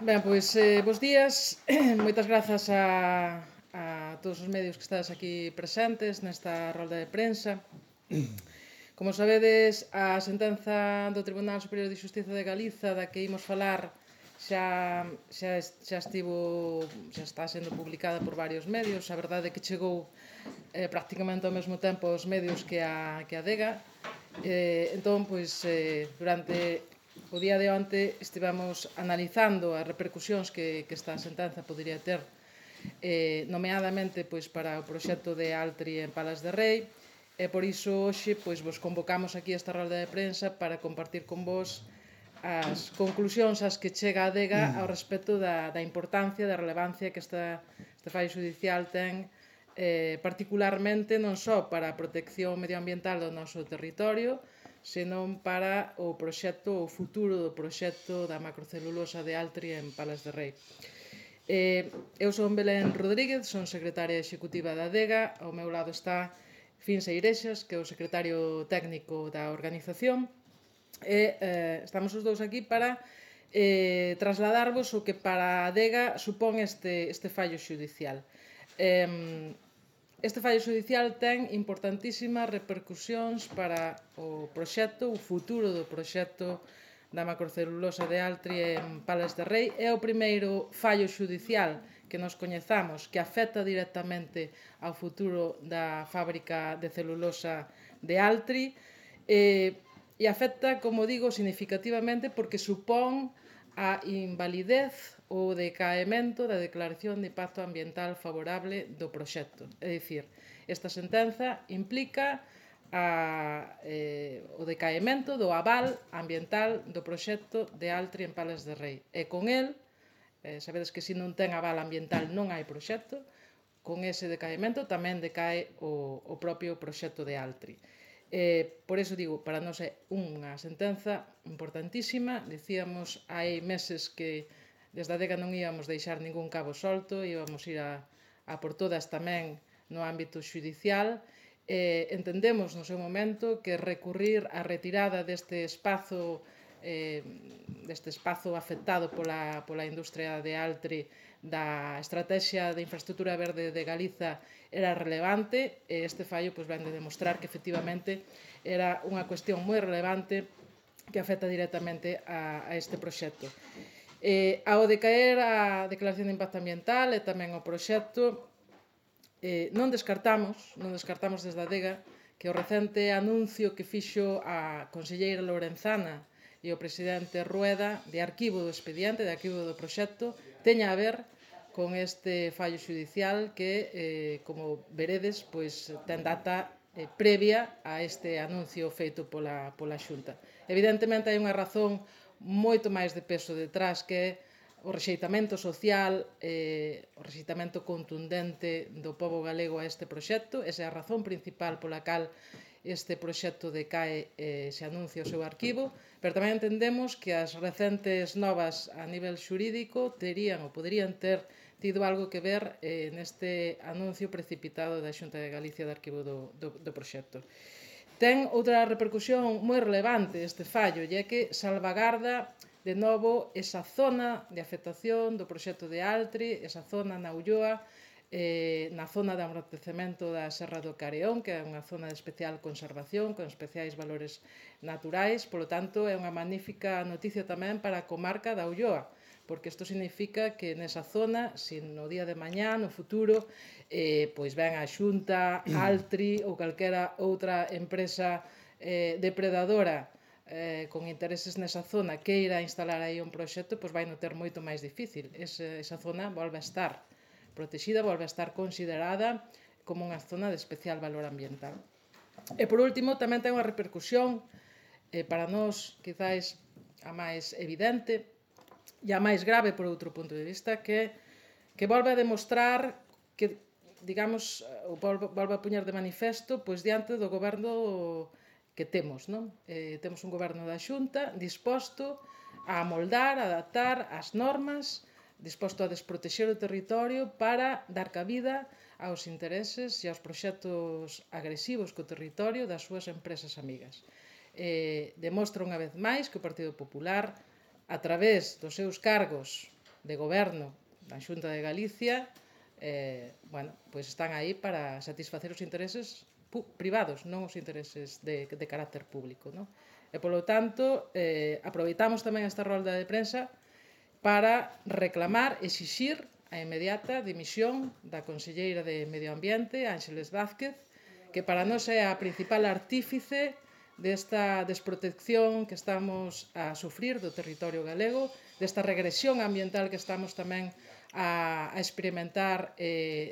Ben, pois, bos días. Moitas grazas a todos os medios que estades aquí presentes nesta rolda de prensa. Como sabedes, a sentenza do Tribunal Superior de Xustiza de Galiza da que imos falar xa está sendo publicada por varios medios. A verdade é que chegou prácticamente ao mesmo tempo aos medios que a DEGA. Entón, pois, durante o día de onte estivemos analizando as repercusións que esta sentenza podería ter, nomeadamente pois, para o proxecto de Altri en Palas de Rei, e por iso hoxe pois, vos convocamos aquí esta rolda de prensa para compartir con vos as conclusións ás que chega a DEGA ao respecto da importancia, da relevancia que este fallo judicial ten, particularmente non só para a protección medioambiental do noso territorio, senón para o proxecto, o futuro do proxecto da macrocelulosa de Altri en Palas de Rei. Eu son Belén Rodríguez, son secretaria executiva da DEGA. Ao meu lado está Finsa Irexas, que é o secretario técnico da organización, e estamos os dous aquí para trasladarvos o que para a DEGA supón este fallo xudicial. Este fallo xudicial ten importantísimas repercusións para o proxecto, o futuro do proxecto da macrocelulosa de Altri en Palas de Rei. É o primeiro fallo xudicial que nos coñezamos que afecta directamente ao futuro da fábrica de celulosa de Altri, e afecta, como digo, significativamente porque supón a invalidez ou decaemento da declaración de impacto ambiental favorable do proxecto. É dicir, esta sentenza implica o decaemento do aval ambiental do proxecto de Altri en Palas de Rei. E con el, sabedes que se non ten aval ambiental non hai proxecto, con ese decaemento tamén decae o propio proxecto de Altri. Por iso digo, para nós é unha sentenza importantísima. Dicíamos hai meses que desde a DEGA non íamos deixar ningún cabo solto, íbamos ir a por todas tamén no ámbito xudicial. Entendemos no seu momento que recurrir á retirada deste espazo afectado pola industria de Altri da Estrategia de Infraestructura Verde de Galiza era relevante, e este fallo vén de demostrar que efectivamente era unha cuestión moi relevante que afecta directamente a este proxecto. Ao decaer a declaración de impacto ambiental e tamén o proxecto, non descartamos desde a DEGA que o recente anuncio que fixo a conselleira Lorenzana e o presidente Rueda de arquivo do expediente, de arquivo do proxecto, teña a ver con este fallo xudicial que, como veredes, ten data previa a este anuncio feito pola Xunta. Evidentemente hai unha razón moito máis de peso detrás, que é o rexeitamento social, o rexeitamento contundente do pobo galego a este proxecto. Esa é a razón principal pola cal este proxecto decae e se anuncia o seu arquivo, pero tamén entendemos que as recentes novas a nivel xurídico terían ou poderían ter tido algo que ver neste anuncio precipitado da Xunta de Galicia de arquivo do proxecto. Ten outra repercusión moi relevante este fallo, e é que salvagarda de novo esa zona de afectación do proxecto de Altri, esa zona na Ulloa, na zona de amortecemento da Serra do Careón, que é unha zona de especial conservación, con especiais valores naturais. Polo tanto, é unha magnífica noticia tamén para a comarca da Ulloa, porque isto significa que nesa zona, se no día de mañá, no futuro, ven a Xunta, Altri ou calquera outra empresa depredadora con intereses nesa zona queira instalar aí un proxecto, vai non ter moito máis difícil. Esa zona volve a estar protexida, volve a estar considerada como unha zona de especial valor ambiental. E, por último, tamén ten unha repercusión para nós, quizáis, a máis evidente e a máis grave por outro punto de vista, que volve a demostrar que, digamos, volve a poñer de manifesto diante do goberno que temos, non? Temos un goberno da Xunta disposto a amoldar, a adaptar as normas, disposto a desprotexer o territorio para dar cabida aos intereses e aos proxectos agresivos co territorio das súas empresas amigas. Demostra unha vez máis que o Partido Popular, a través dos seus cargos de goberno da Xunta de Galicia, bueno, pois están aí para satisfacer os intereses privados, non os intereses de carácter público, non? E, polo tanto, aproveitamos tamén esta rolda de prensa para reclamar, exixir a inmediata dimisión da conselleira de Medio Ambiente, Ángeles Vázquez, que para nós é a principal artífice desta desprotección que estamos a sufrir do territorio galego, desta regresión ambiental que estamos tamén a experimentar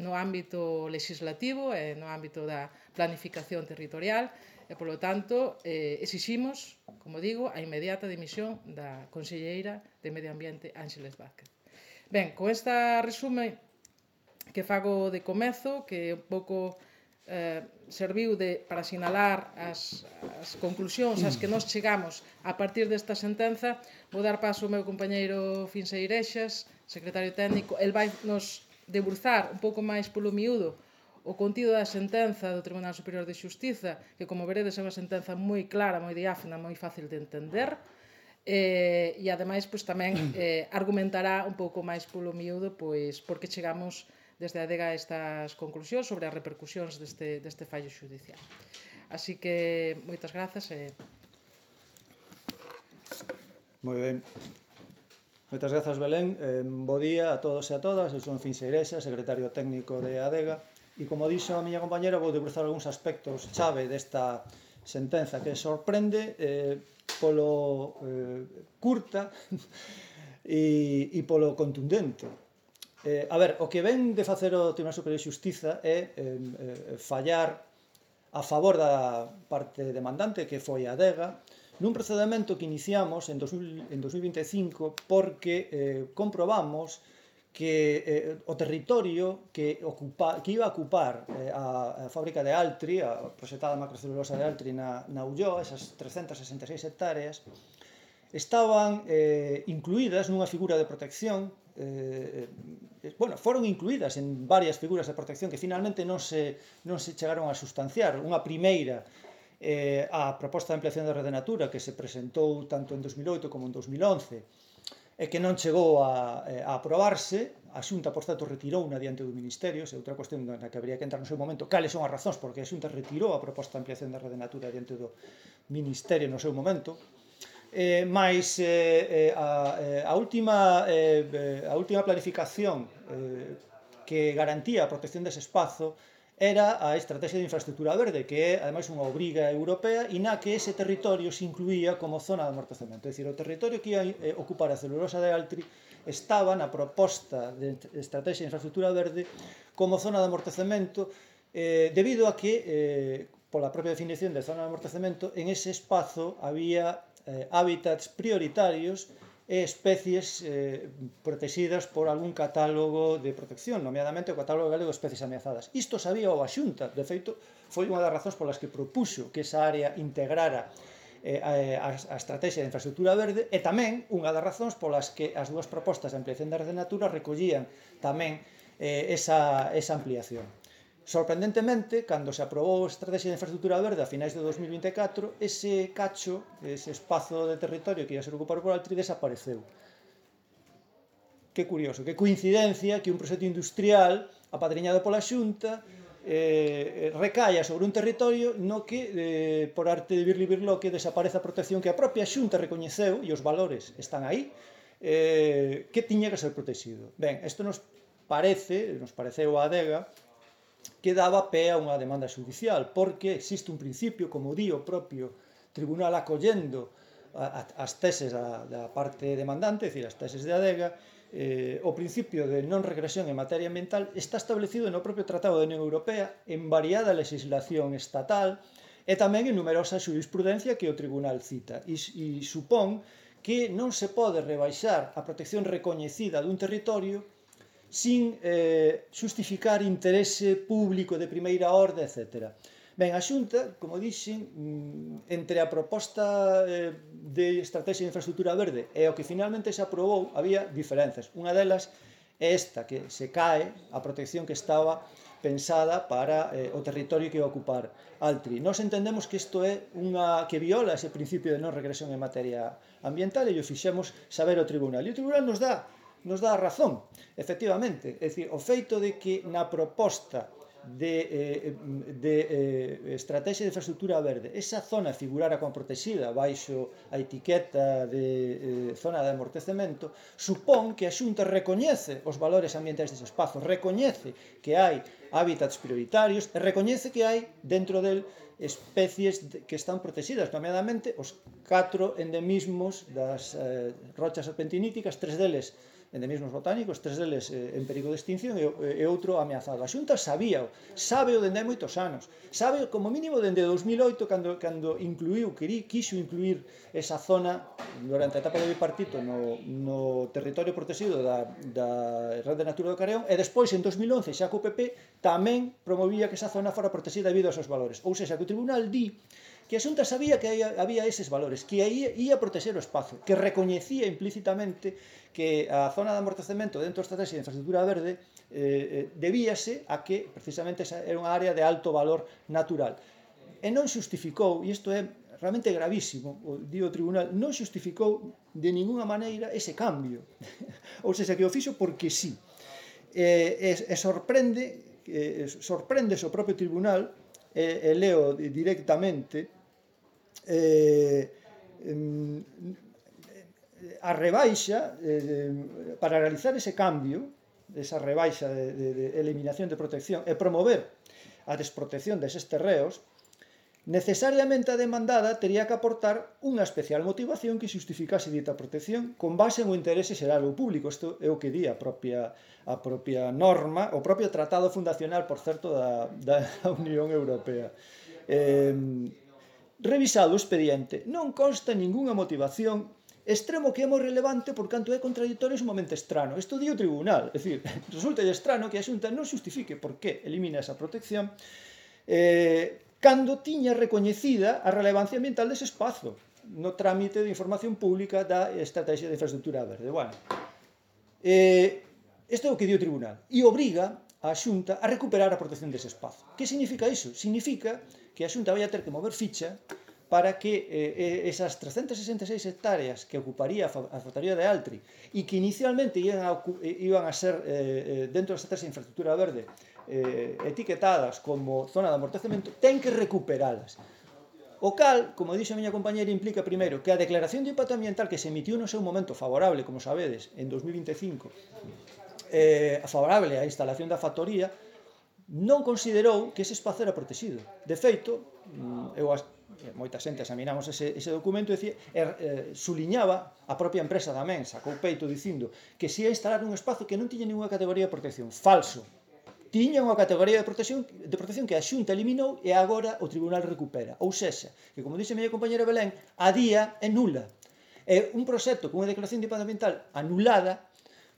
no ámbito legislativo e no ámbito da planificación territorial, e, polo tanto, exiximos, como digo, a inmediata dimisión da conselleira de Medio Ambiente, Ángeles Vázquez. Ben, con esta resume que fago de comezo, que un pouco serviu para sinalar as conclusións ás que nós chegamos a partir desta sentenza, vou dar paso ao meu compañeiro Finse Irexas, secretario técnico. El vai nos deburzar un pouco máis polo miúdo o contido da sentenza do Tribunal Superior de Xustiza, que, como veredes, é unha sentenza moi clara, moi diáfana, moi fácil de entender, e, ademais, tamén argumentará un pouco máis polo miúdo por que chegamos desde a ADEGA a estas conclusións sobre as repercusións deste fallo xudicial. Así que, moitas grazas. Moi ben. Moitas grazas, Belén. Bo día a todos e a todas. Eu son Finse Irexas, secretario técnico de ADEGA. E, como dixo a miña compañera, vou debruzar algúns aspectos chave desta sentenza que sorprende polo curta e polo contundente. A ver, o que ven de facer o Tribunal Superior de Xustiza é fallar a favor da parte demandante, que foi a ADEGA, nun procedimento que iniciamos en 2025 porque comprobamos que o territorio que iba a ocupar a fábrica de Altri, a proxectada macrocelulosa de Altri na Ulloa, esas 366 hectáreas, estaban incluídas nunha figura de protección, foron incluídas en varias figuras de protección que finalmente non se chegaron a sustanciar. Unha primeira, a proposta de ampliación da Rede Natura, que se presentou tanto en 2008 como en 2011, e que non chegou a aprobarse. A Xunta, por certo, retirouna diante do Ministerio, é outra cuestión na que habría que entrar no seu momento, cales son as razóns porque a Xunta retirou a proposta de ampliación da Rede Natura diante do Ministerio no seu momento. Mais a última planificación que garantía a protección dese espazo era a Estrategia de Infraestructura Verde, que é, ademais, unha obriga europea e na que ese territorio se incluía como zona de amortecemento. É dicir, o territorio que ia ocupar a celulosa de Altri estaba na proposta de Estrategia de Infraestructura Verde como zona de amortecemento, debido a que, pola propia definición de zona de amortecemento, en ese espazo había hábitats prioritarios e especies protegidas por algún catálogo de protección, nomeadamente o Catálogo Galego de Especies Ameazadas. Isto sabía a Xunta, de feito, foi unha das razóns polas que propuxo que esa área integrara a Estrategia de Infraestructura Verde, e tamén unha das razóns polas que as dúas propostas de ampliación da Rede Natura recollían tamén esa ampliación. Sorprendentemente, cando se aprobou a Estrategia de Infraestructura Verde a finais de 2024, ese cacho, ese espazo de territorio que ia ser ocupado por Altri, desapareceu. Que curioso, que coincidencia que un proxecto industrial apadriñado pola Xunta recaia sobre un territorio no que, por arte de Birli-Birloque, desaparece a protección que a propia Xunta recoñeceu, e os valores están aí, que tiña que ser protegido. Ben, isto nos pareceu a ADEGA, que daba pé a unha demanda judicial, porque existe un principio, como di o propio tribunal acollendo as teses da parte demandante, é dicir, as teses de ADEGA, o principio de non regresión en materia ambiental está establecido no propio Tratado da Unión Europea, en variada legislación estatal e tamén en numerosa xurisprudencia que o tribunal cita, e supón que non se pode rebaixar a protección recoñecida dun territorio sin justificar interese público de primeira orde, etc. Ben, a Xunta, como dixen, entre a proposta de Estrategia de Infraestructura Verde e o que finalmente se aprobou, había diferenzas. Unha delas é esta, que se cae a protección que estaba pensada para o territorio que ia ocupar Altri. Nós entendemos que isto é que viola ese principio de non regresión en materia ambiental, e o fixemos saber ao tribunal. E o tribunal nos dá nos dá a razón, efectivamente. É dicir, o feito de que na proposta de estrategia de infraestructura verde esa zona figurara como protegida baixo a etiqueta de zona de amortecemento, supón que a Xunta recoñece os valores ambientais dese espazo, recoñece que hai hábitats prioritarios e recoñece que hai dentro del especies que están protegidas, nomeadamente os 4 endemismos das rochas serpentiníticas, 3 deles endemismos botánicos, 3 deles en perigo de extinción e outro ameazado. A Xunta sabíao, sábeo dende hai moitos anos, sábeo como mínimo dende 2008 cando incluiu, quixo incluir esa zona durante a etapa de bipartito no territorio protegido da Red de Natura do Carrión, e despois en 2011 xa co PP tamén promovía que esa zona fora protegida debido aos seus valores. Ou seja, que o Tribunal di que a Xunta sabía que había eses valores, que ia proteger o espazo, que recoñecía implícitamente que a zona de amortecemento dentro da estrategia de infraestructura verde debíase a que precisamente era unha área de alto valor natural. E non xustificou, e isto é realmente gravísimo, o Tribunal, non xustificou de ninguna maneira ese cambio. Ou seja, que o fixo porque sí. E sorprende o propio Tribunal, e leo directamente, a rebaixa para realizar ese cambio, esa rebaixa de eliminación de protección e promover a desprotección deses terreos, necesariamente a demandada tería que aportar unha especial motivación que xustificase dita protección con base no interese xeral ou público. Isto é o que di a propia norma, o propio tratado fundacional, por certo, da Unión Europea. Revisado o expediente, non consta ningunha motivación, extremo que é moi relevante por canto é contradictorio e sumamente estrano. Isto di o Tribunal, é dicir, resulta estrano que a Xunta non xustifique por que elimina esa protección cando tiña recoñecida a relevancia ambiental dese espazo no trámite de información pública da estrategia de infraestructura verde. Bueno, isto é o que di o Tribunal e obriga a Xunta a recuperar a protección dese espazo. Que significa iso? Significa que a Xunta vai a ter que mover ficha para que esas 366 hectáreas que ocuparía a factoría de Altri e que inicialmente iban a ser dentro da estrategia de infraestructura verde etiquetadas como zona de amortecemento, ten que recuperalas. O cal, como dixo a miña compañera, implica primeiro que a declaración de impacto ambiental que se emitiu no seu momento favorable, como sabedes, en 2025, favorable á instalación da factoría, non considerou que ese espazo era protegido. De feito, moita xente examinamos ese documento e suliñaba, a propia empresa tamén sacou peito dicindo que se ia instalar un espazo que non tiña ninguna categoría de protección. Falso. Tiña unha categoría de protección que a Xunta eliminou e agora o Tribunal recupera. Ou sexa, que como dixe a miña compañera Belén, a día é nula. É un proxecto con unha declaración de impacto ambiental anulada,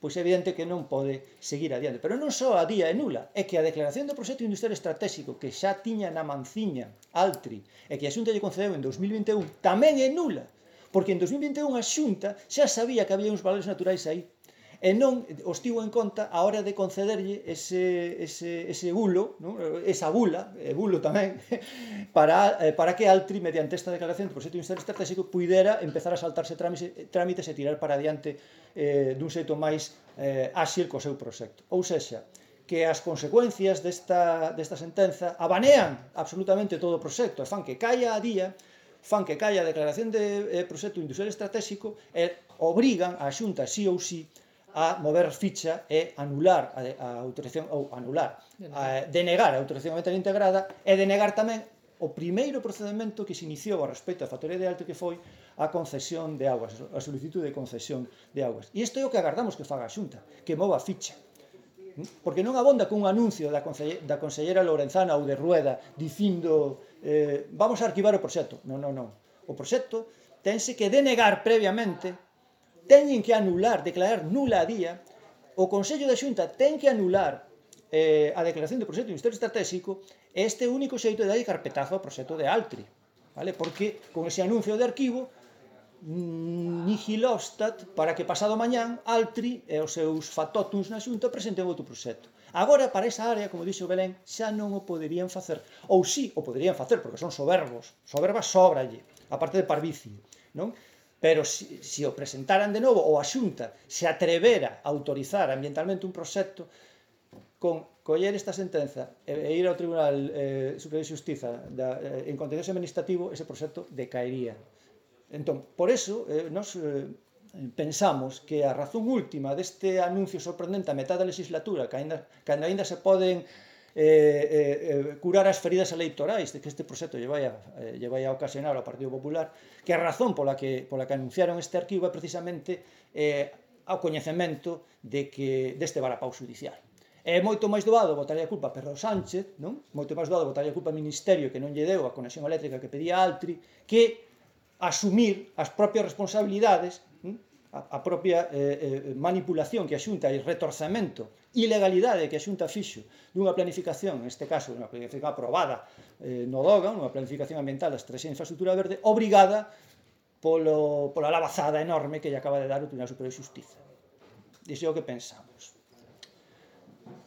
pois é evidente que non pode seguir adiante. Pero non só a día é nula, é que a declaración do proxecto industrial estratégico que xa tiña na manciña Altri e que a Xunta lle concedeu en 2021 tamén é nula, porque en 2021 a Xunta xa sabía que había uns valores naturais aí e non os tivo en conta a hora de concederlle ese bulo, esa bula, e bulo tamén, para que Altri, mediante esta declaración do proxecto industrial estratégico, pudera empezar a saltarse trámites e tirar para adiante dun xeito máis áxil co seu proxecto. Ou sexa, que as consecuencias desta sentenza abanean absolutamente todo o proxecto e fan que caia a día, fan que caia a declaración de proxecto industrial estratégico e obrigan a Xunta sí ou sí a mover ficha e anular a autorización, ou denegar a autorización ambiental integrada e denegar tamén o primeiro procedimento que se iniciou a respecto da factoría de Altri, que foi a concesión de augas, a solicitude de concesión de augas. E isto é o que agardamos que faga a Xunta, que mova ficha. Porque non abonda cun anuncio da consellera Lorenzana ou de Rueda dicindo vamos a arquivar o proxecto. Non. O proxecto tense que denegar previamente, teñen que anular, declarar nula a día, o Consello da Xunta ten que anular a declaración do proxecto industrial estratégico, este único xeito de darlle carpetazo ao proxecto de Altri, vale? Porque con ese anuncio de arquivo nihilostat para que pasado mañán Altri e os seus factotums na Xunta presenten outro proxecto. Agora, para esa área, como dixo Belén, xa non o poderían facer. Ou sí, o poderían facer, porque son soberbas sobralle, a parte de parvicie, non? pero se o presentaran de novo ou a Xunta se atrevera a autorizar ambientalmente un proxecto, con coller esta sentenza e ir ao Tribunal Superior de Xustiza en contencioso administrativo, ese proxecto decaería. Entón, por eso, nos pensamos que a razón última deste anuncio sorprendente a metade da legislatura, cando aínda se poden curar as feridas electorais de que este proxecto lle vai a ocasionar ao Partido Popular, que a razón pola que anunciaron este arquivo é precisamente ao coñecemento deste varapau judicial. É moito máis doado botarlle a culpa a Pedro Sánchez, non? Moito máis doado botarlle a culpa ao Ministerio que non lle deu a conexión eléctrica que pedía Altri, que asumir as propias responsabilidades, a propia manipulación que a Xunta e retorcemento, ilegalidade que a Xunta fixo dunha planificación, neste caso, unha planificación aprobada no DOGA, unha planificación ambiental da Estrategia de Infraestructura Verde, obrigada pola lavazada enorme que lle acaba de dar o Tribunal Superior de Xustiza. Iso é o que pensamos.